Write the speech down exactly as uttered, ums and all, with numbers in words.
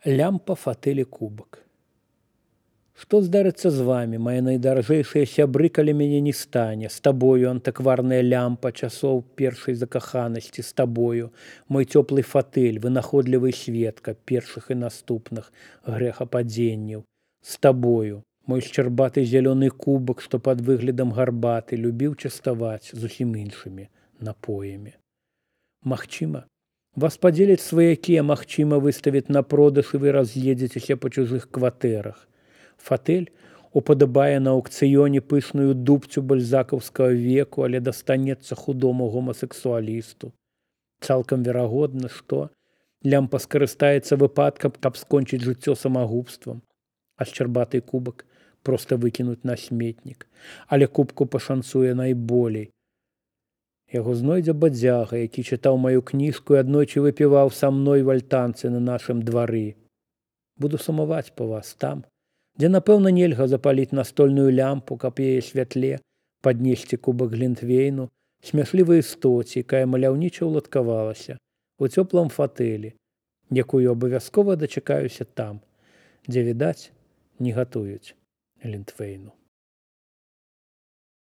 Лямпа, фатэль і кубак. Што здарыцца з вамі, мае найдаражэйшыя сябры, калі мяне не стане? З табою, антыкварная лямпа часоў першай закаханасці, з табою, мой цёплы фатэль, вынаходлівы сведка першых і наступных грэхападзенняў. З табою, мой шчарбаты зялёны кубак, што пад выглядам гарбаты любіў частаваць зусім іншымі напоямі. Магчыма, вас падзеляць сваякі, а магчыма, выставяць на продаж і вы раз'едзецеся па чужых кватэрах. Фатэль упадабае на аўкцыёне пышную дубцю бальзакаўскага веку, але дастанецца худому гомасексуалісту. Цалкам верагодна, што лямпа скарыстаецца выпадкам, каб скончыць жыццё самагубствам, а шчарбаты кубак проста выкінуць на сметнік. Але кубку пашанцуе найболей. Яго знойдзе бадзяга, які чытаў маю кніжку і аднойчы выпіваў са мной в альтанцы на нашым двары. Буду сумаваць па вас там, дзе, напэўна, нельга запаліць настольную лямпу, каб яе святле паднесці кубак глінтвейну, смяшлівай істоце, якая маляўніча ўладкавалася у цёплым фатэлі, якую абавязкова дачакаюся там, дзе, відаць, не гатуюць глінтвейну.